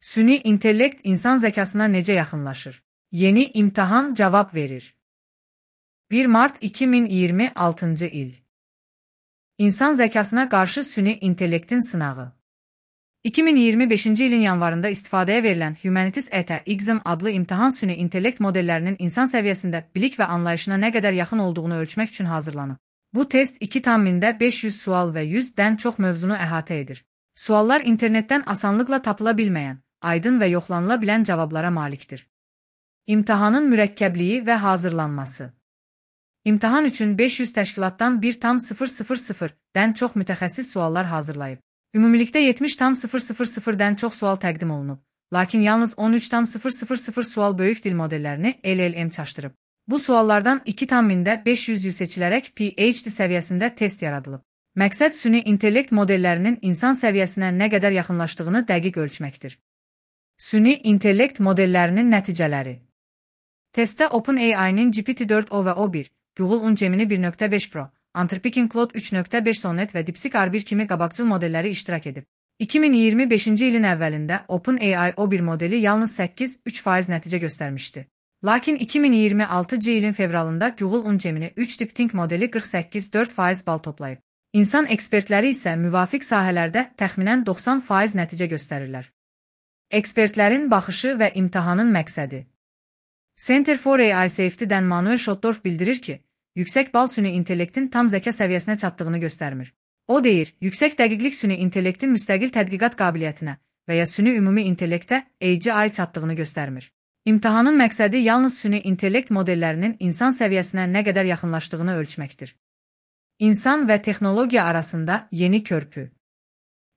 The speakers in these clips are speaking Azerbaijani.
Süni intellekt insan zəkasına necə yaxınlaşır? Yeni imtahan cavab verir. 1 Mart 2026 il. İnsan zəkasına qarşı süni intellektin sınağı. 2025-ci ilin yanvarında istifadəyə verilən Humanities ET-XAM adlı imtahan süni intellekt modellərinin insan səviyyəsində bilik və anlayışına nə qədər yaxın olduğunu ölçmək üçün hazırlanıb. Bu test 2,500 sual və 100-dən çox mövzunu əhatə edir. Suallar internetdən asanlıqla tapıla bilməyən, aydın və yoxlanıla bilən cavablara malikdir. İmtahanın mürəkkəbliyi və hazırlanması. İmtahan üçün 500 təşkilatdan 1,000-dən çox mütəxəssis suallar hazırlayıb. Ümumilikdə 70,000-dən çox sual təqdim olunub, lakin yalnız 13,000 sual böyük dil modellərini LLM çaşdırıb. Bu suallardan 2,500 seçilərək PhD səviyyəsində test yaradılıb. Məqsəd süni intellekt modellərinin insan səviyyəsinə nə qədər yaxınlaşdığını dəqiq ölçməkdir. Süni intellekt modellərinin nəticələri. Testdə OpenAI-nin GPT-4o və O1, Google-un Gemini 1.5 Pro, Anthropic'in Claude 3.5 Sonnet və DeepSeek R1 kimi qabaqcıl modelləri iştirak edib. 2025-ci ilin əvvəlində OpenAI O1 modeli yalnız 8,3% nəticə göstərmişdi. Lakin 2026-cı ilin fevralında Google-un Gemini 3 DeepThink modeli 48,4% bal toplayıb. İnsan ekspertləri isə müvafiq sahələrdə təxminən 90% nəticə göstərirlər. Ekspertlərin baxışı və imtahanın məqsədi. Center for AI Safety-dən Manuel Schottorf bildirir ki, yüksək bal süni intellektin tam zəka səviyyəsinə çatdığını göstərmir. O deyir, yüksək dəqiqlik süni intellektin müstəqil tədqiqat qabiliyyətinə və ya süni ümumi intellektə AGI çatdığını göstərmir. İmtahanın məqsədi yalnız süni intellekt modellərinin insan səviyyəsinə nə qədər yaxınlaşdığını ölçməkdir. İnsan və texnologiya arasında yeni körpü.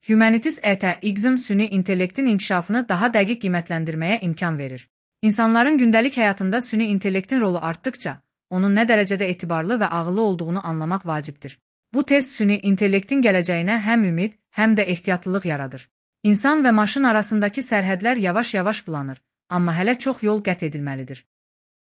Humanities ET-XAM süni intellektin inkişafını daha dəqiq qiymətləndirməyə imkan verir. İnsanların gündəlik həyatında süni intellektin rolu artdıqca, onun nə dərəcədə etibarlı və ağıllı olduğunu anlamaq vacibdir. Bu test süni intellektin gələcəyinə həm ümid, həm də ehtiyatlılıq yaradır. İnsan və maşın arasındakı sərhədlər yavaş-yavaş bulanır, amma hələ çox yol qət edilməlidir.